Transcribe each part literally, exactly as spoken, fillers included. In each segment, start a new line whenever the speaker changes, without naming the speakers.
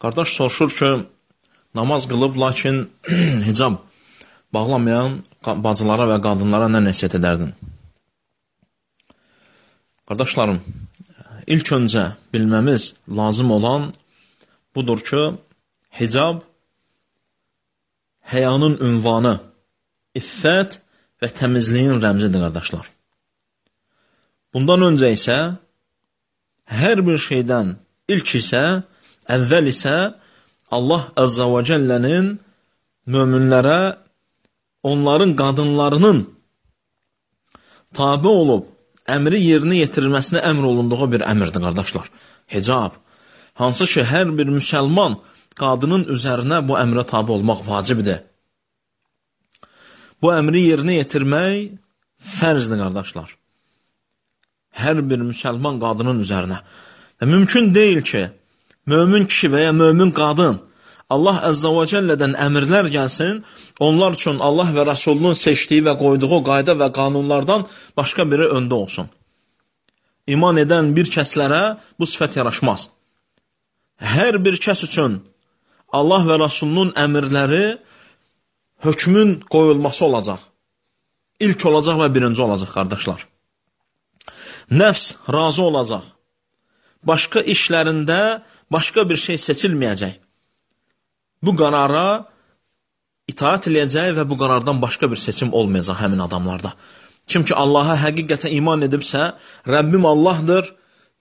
Qardaş soruşur ki, namaz qılıb, lakin hicab bağlamayan bacılara və qadınlara nə nəsiyyət edərdin? Qardaşlarım, ilk öncə bilməmiz lazım olan budur ki, hicab həyanın ünvanı, iffət və təmizliyin rəmzidir, qardaşlar. Bundan öncə isə hər bir şeydən ilk isə, əvvəl isə Allah Əzzə və Cəllənin möminlərə onların qadınlarının tabi olub əmri yerinə yetirilməsini əmr olunduğu bir əmrdir, qardaşlar. Hicab. Hansı ki, hər bir müsəlman qadının üzərinə bu əmrə tabi olmaq vacibdir. Bu əmri yerinə yetirmək fərzdir, qardaşlar. Hər bir müsəlman qadının üzərinə. Və mümkün deyil ki, mömin kişi və ya mömin qadın Allah Əzzə və Cəllədən əmrlər gəlsin, onlar üçün Allah və Rəsulunun seçdiyi və qoyduğu qayda və qanunlardan başqa biri öndə olsun. İman edən bir kəslərə bu sifət yaraşmaz. Hər bir kəs üçün Allah və Rəsulunun əmrləri hökmün qoyulması olacaq. İlk olacaq və birinci olacaq, qardaşlar. Nəfs razı olacaq. Başqa işlərində başqa bir şey seçilməyəcək. Bu qərara itaat eləyəcək və bu qərardan başqa bir seçim olmayacaq həmin adamlarda. Kim ki Allaha həqiqətən iman edibsə, Rəbbim Allahdır,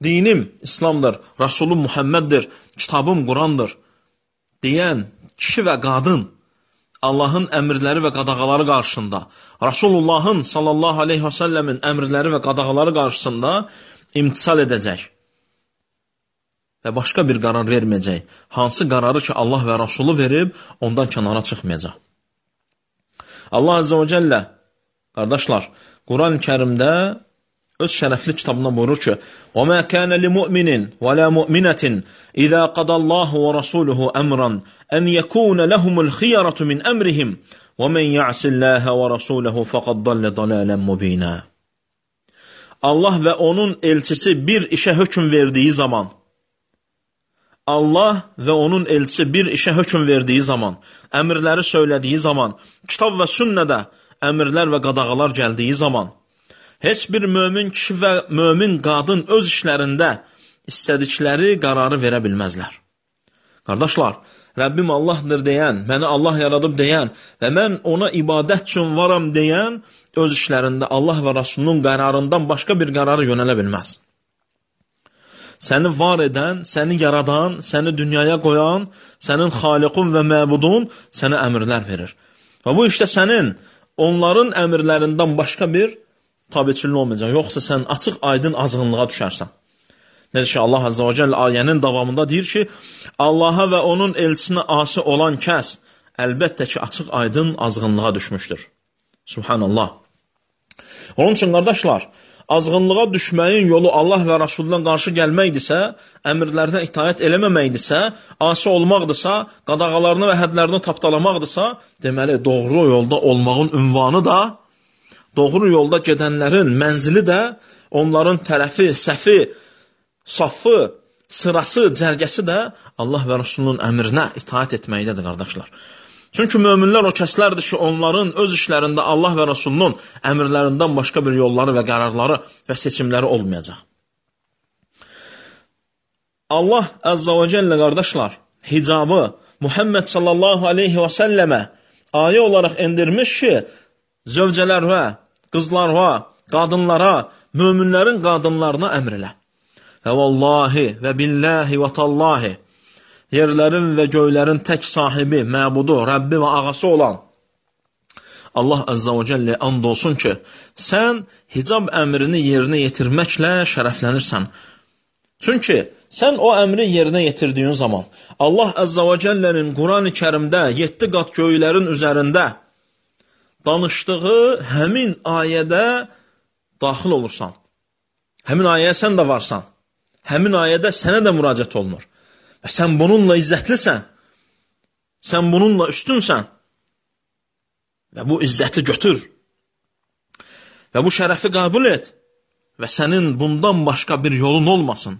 dinim İslamdır, Rasulum Muhammeddir, kitabım Qurandır deyən kişi və qadın Allahın əmrləri və qadağaları qarşısında, Rasulullahın sallallahu aleyhi və səlləmin əmrləri və qadağaları qarşısında imtisal edəcək və başqa bir qərar verməyəcək. Hansı qərarı ki Allah və Rasulü verib, ondan kənara çıxmayacaq. Allah Əzzə və Cəllə, qardaşlar, Quran-ı Kərimdə öz şərəfli kitabına buyurur ki, وَمَا كَانَ لِمُؤْمِنٍ وَلَا مُؤْمِنَةٍ إِذَا قَضَى اللَّهُ وَرَسُولُهُ أَمْرًا أَنْ يَكُونَ لَهُمُ الْخِيَرَةُ مِنْ أَمْرِهِمْ وَمَنْ يَعْصِ اللَّهَ وَرَسُولَهُ فَقَدْ ضَلَّ ضَلَالًا مُبِينًا. Allah və onun elçisi bir işə hökm verdiyi zaman, Allah və onun elçisi bir işə hökm verdiyi zaman, əmrləri söylədiyi zaman, kitab və sünnədə əmrlər və qadağalar gəldiyi zaman, heç bir mömin kişi və mömin qadın öz işlərində istədikləri qərarı verə bilməzlər. Qardaşlar, Rəbbim Allahdır deyən, məni Allah yaradıb deyən və mən ona ibadət üçün varam deyən öz işlərində Allah və Rasulunun qərarından başqa bir qərarı yönələ bilməz. Səni var edən, səni yaradan, səni dünyaya qoyan, sənin xaliqun və məbudun sənə əmrlər verir. Və bu işdə sənin onların əmrlərindən başqa bir tabiçilin olmayacaq. Yoxsa sən açıq aydın azğınlığa düşərsən. Necə ki, Allah Azza və Cəllə ayənin davamında deyir ki, Allaha və onun elçisinə asi olan kəs əlbəttə ki, açıq aydın azğınlığa düşmüşdür. Subhanallah. Onun üçün, qardaşlar, azğınlığa düşməyin yolu Allah və Rasulundan qarşı gəlməkdirsə, əmrlərinə itaət eləməməkdirsə, asi olmaqdırsa, qadağalarını və hədlərini tapdalamaqdırsa, deməli, doğru yolda olmağın ünvanı da, doğru yolda gedənlərin mənzili də, onların tərəfi, səfi, safı, sırası, cərgəsi də Allah və Rasulunun əmrinə itaət etməkdədir, qardaşlar. Çünki möminlər o kəslərdir ki, onların öz işlərində Allah və Rasulunun əmrlərindən başqa bir yolları və qərarları və seçimləri olmayacaq. Allah Əzzə və Cəllə, qardaşlar, hicabı Muhammed sallallahu aleyhi və səlləmə ayə olaraq endirmiş ki, zövcələrə, qızlara, qadınlara, möminlərin qadınlarına əmr elə. Və vallahi və billahi və tallahi, yerlərin və göylərin tək sahibi, məbudu, Rəbbi və ağası olan Allah Əzzə və Cəllə and olsun ki, sən hicab əmrini yerinə yetirməklə şərəflənirsən. Çünki sən o əmri yerinə yetirdiyin zaman Allah Əzzə və Cəllənin Quran-ı Kərimdə yeddi qat göylərin üzərində danışdığı həmin ayədə daxil olursan. Həmin ayəyə sən də varsan. Həmin ayədə sənə də müraciət olunur. Və sən bununla izzətlisən. Sən bununla üstünsən. Və bu izzəti götür. Və bu şərəfi qəbul et. Və sənin bundan başqa bir yolun olmasın.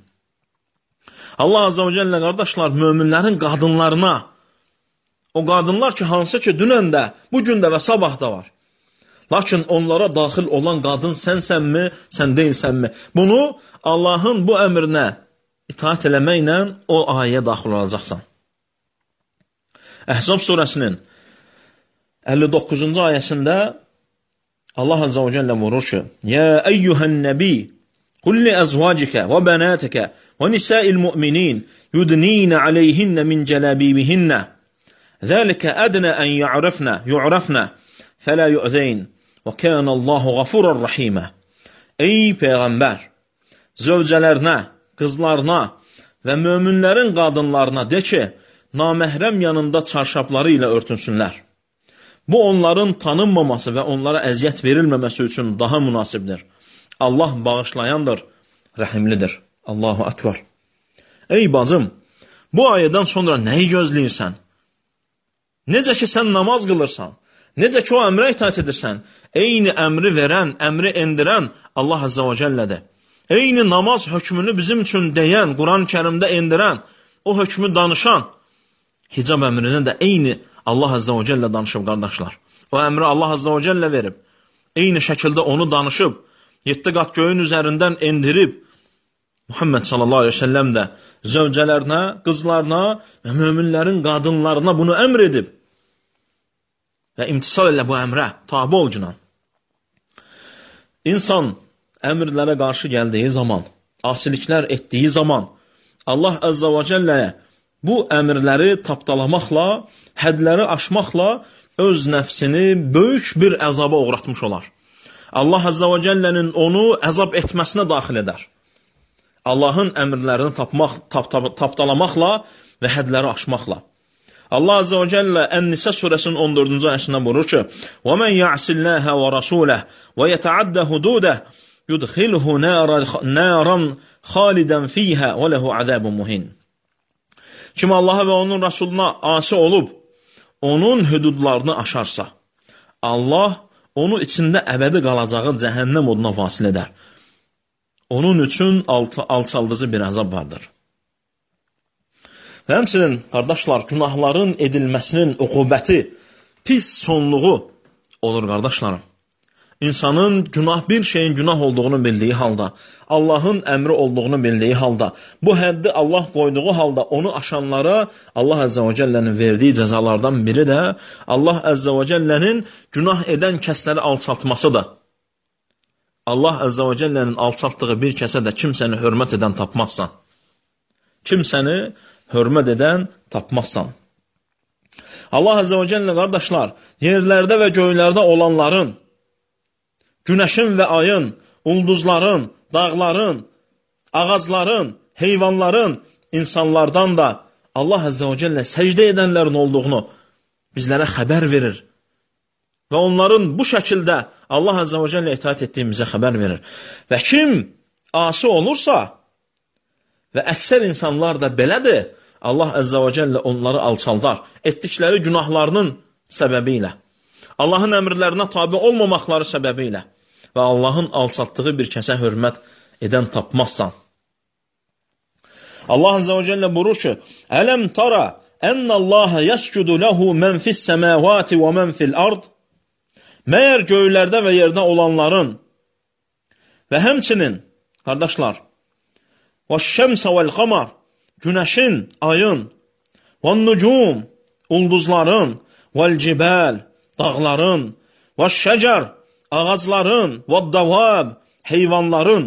Allah Azza və Cəllə, qardaşlar, möminlərin qadınlarına, o qadınlar ki, hansı ki, dünən də, bugün də və sabah da var. Lakin onlara daxil olan qadın sənsənmi, sən deyilsənmi? Bunu Allahın bu əmrinə itaat eləməklə o ayəyə daxil olacaqsan. Əhzab surəsinin əlli doqquzuncu ayəsində Allah Azza və Cəllə vurur ki, Yə əyyuhən nəbi, qul li əzvacikə və bənətəkə və nisəil mü'minin yudninə aleyhinnə min cələbibihinnə zəlikə ədnə ən yu'rafnə yu'rafnə fələ yu'zeyn və kənəllahu qafurar rəhimə. Ey Peyğəmbər, zövcələrinə, qızlarına və möminlərin qadınlarına de ki, naməhrəm yanında çarşafları ilə örtünsünlər. Bu, onların tanınmaması və onlara əziyyət verilməməsi üçün daha münasibdir. Allah bağışlayandır, rəhimlidir. Allahu Akbar. Ey bacım, bu ayədən sonra nəyi gözləyirsən? Necə ki, sən namaz qılırsan, necə ki, o əmrə itaat edirsən, eyni əmri verən, əmri endirən Allah Azza və Cəllədir. Eyni namaz hökmünü bizim üçün deyən, Quran-ı Kərimdə endirən, o hökmü danışan, hicab əmrini də eyni Allah Azza və Cəllə danışıb, qardaşlar. O əmri Allah Azza və Cəllə verib, eyni şəkildə onu danışıb, yeddi qat göyün üzərindən endirib, Muhammed sallallahu aleyhi ve sellem də zövcələrinə, qızlarına və möminlərin qadınlarına bunu əmr edib və imtisal elə bu əmrə tabi ol günan. İnsan əmrlərə qarşı gəldiyi zaman, asiliklər etdiyi zaman Allah Azza və Cəlləyə bu əmrləri tapdalamaqla, hədləri aşmaqla öz nəfsini böyük bir əzaba uğratmış olar. Allah Azza və Cəllənin onu əzab etməsinə daxil edər. Allahın əmrlərini tapmaq, tap, tap, tapdalamaqla və hədləri aşmaqla. Allah Azza və Cəllə Ən-Nisə surəsinin on dördüncü ayəsində buyurur ki: "Və men ya'sillaha və rasulahu və yeta'adda hududah yudkhilhu naran khalidan fiha və lehu azabun muhin." Kim Allaha və onun Rasuluna asi olub, onun hüdudlarını aşarsa, Allah onu içində əbədi qalacağı cəhənnəm oduna vasil edər. Onun üçün alçaldıcı bir əzab vardır. Və həmçinin, qardaşlar, günahların edilməsinin uqubəti, pis sonluğu olur, qardaşlarım. İnsanın günah bir şeyin günah olduğunu bildiyi halda, Allahın əmri olduğunu bildiyi halda, bu həddi Allah qoyduğu halda onu aşanlara Allah Əzzə və Cəllənin verdiyi cəzalardan biri də Allah Əzzə və Cəllənin günah edən kəsləri alçaltmasıdır. Allah Əzzə və Cəllənin alçaltdığı bir kəsə də kimsəni hörmət edən tapmazsan. Kimsəni hörmət edən tapmazsan. Allah Əzzə və Cəllə, qardaşlar, yerlərdə və göylərdə olanların, günəşin və ayın, ulduzların, dağların, ağacların, heyvanların, insanlardan da Allah Əzzə və Cəllə səcdə edənlərin olduğunu bizlərə xəbər verir. Və onların bu şəkildə Allah Əzzə və Cəllə itaat etdiyimizə xəbər verir. Və kim asi olursa və əksər insanlar da belədir, Allah Əzzə və Cəllə onları alçaldar, etdikləri günahlarının səbəbi ilə, Allahın əmrlərinə tabi olmamaqları səbəbi ilə və Allahın alçaltdığı bir kəsə hörmət edən tapmazsan. Allah Əzzə və Cəllə buyurur ki: "Ələm tara ənəllaha yəscudu lehu men fis-semavati və men fil-ard?" Məyər göylərdə və yerdə olanların və həmçinin, qardaşlar, "Vəş-şəmsə vəl-qamar", günəşin, ayın, "Vən-nucum", ulduzların, "Vəl-cibal", dağların, "Vəş-şəcər", ağacların, "Vəd-davab", heyvanların,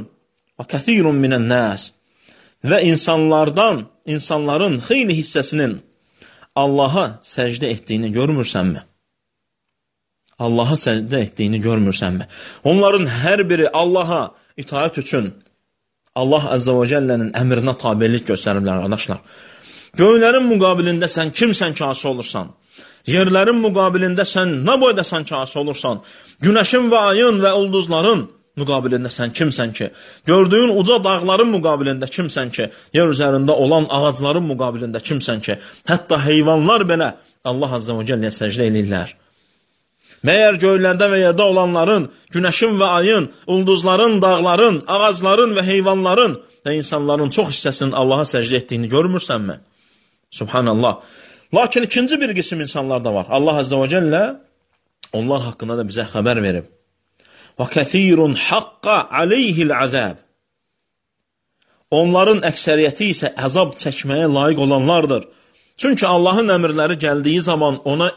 "Və kəthirun minən-nas", və insanlardan, insanların xeyli hissəsinin Allaha səcdə etdiyini görmürsənmi? Allaha səcdə etdiyini görmürsənmi? Onların hər biri Allaha itaat üçün Allah Əzzə və Cəllənin əmrinə tabilik göstəriblər, qardaşlar. Göylərin müqabilində sən kimsən ki, asi olursan? Yerlərin müqabilində sən nə boydasan ki, asi olursan? Günəşin və ayın və ulduzların müqabilində sən kimsən ki? Gördüyün uca dağların müqabilində kimsən ki? Yer üzərində olan ağacların müqabilində kimsən ki? Hətta heyvanlar belə Allah Əzzə və Cəlləyə səcdə edirlər. Məyər göylərdə və yerdə olanların, günəşin və ayın, ulduzların, dağların, ağacların və heyvanların və insanların çox hissəsinin Allaha səcdə etdiyini görmürsənmi? Subhanallah. Lakin ikinci bir qism insanlar da var. Allah Azze ve Celle onlar haqqında da bizə xəbər verib. وَكَثِيرٌ حَقَّ عَلَيْهِ الْعَذَابِ Onların əksəriyyəti isə əzab çəkməyə layiq olanlardır. Çünki Allahın əmrləri gəldiyi zaman ona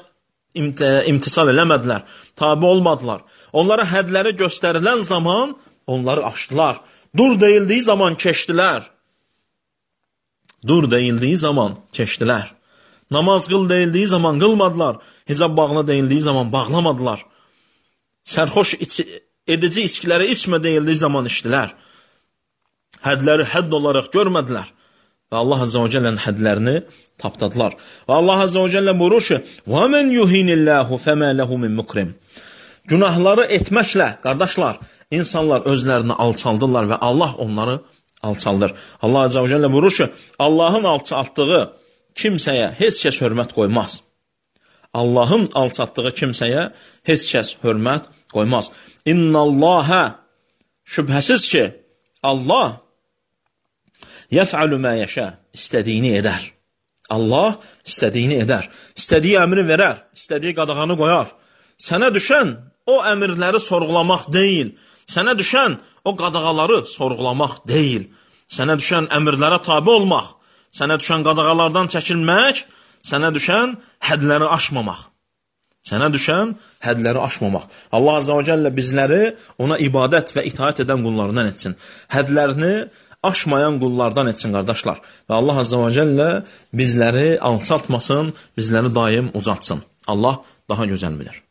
imtisal eləmədilər, tabi olmadılar. Onlara hədləri göstərilən zaman onları aşdılar. Dur deyildiyi zaman keçdilər. Dur deyildiyi zaman keçdilər. Namaz qıl deyildiyi zaman qılmadılar. Hicab bağla deyildiyi zaman bağlamadılar. Sərxoş iç edici içkiləri içmə deyildiyi zaman içdilər. Hədləri hədd olaraq görmədilər. Və Allah Azze ve Celle'nin hədlərini tapdadılar. Və Allah Azze ve Celle buyurur ki, وَمَنْ يُهِنِ اللّٰهُ فَمَا لَهُ مِنْ مُكْرِمٍ Günahları etməklə, qardaşlar, insanlar özlərini alçaldırlar və Allah onları alçaldır. Allah Azze ve Celle buyurur ki, Allahın alçaltdığı kimsəyə heç kəs hörmət qoymaz. Allahın alçaltdığı kimsəyə heç kəs hörmət qoymaz. İnnallâhə şübhəsiz ki, Allah yəf'alu mə yəşə istədiyini edər. Allah istədiyini edər. İstədiyi əmri verər, istədiyi qadağanı qoyar. Sənə düşən o əmrləri sorğulamaq deyil. Sənə düşən o qadağaları sorğulamaq deyil. Sənə düşən əmrlərə tabi olmaq. Sənə düşən qadağalardan çəkilmək. Sənə düşən hədləri aşmamaq. Sənə düşən hədləri aşmamaq. Allah Azze ve Celle bizləri ona ibadət və itaat edən qullarından etsin. Hədlərini aşmayan qullardan etsin, qardaşlar. Və Allah Azze ve Celle bizləri alçaltmasın, bizləri daim ucaltsın. Allah daha gözəl bilir.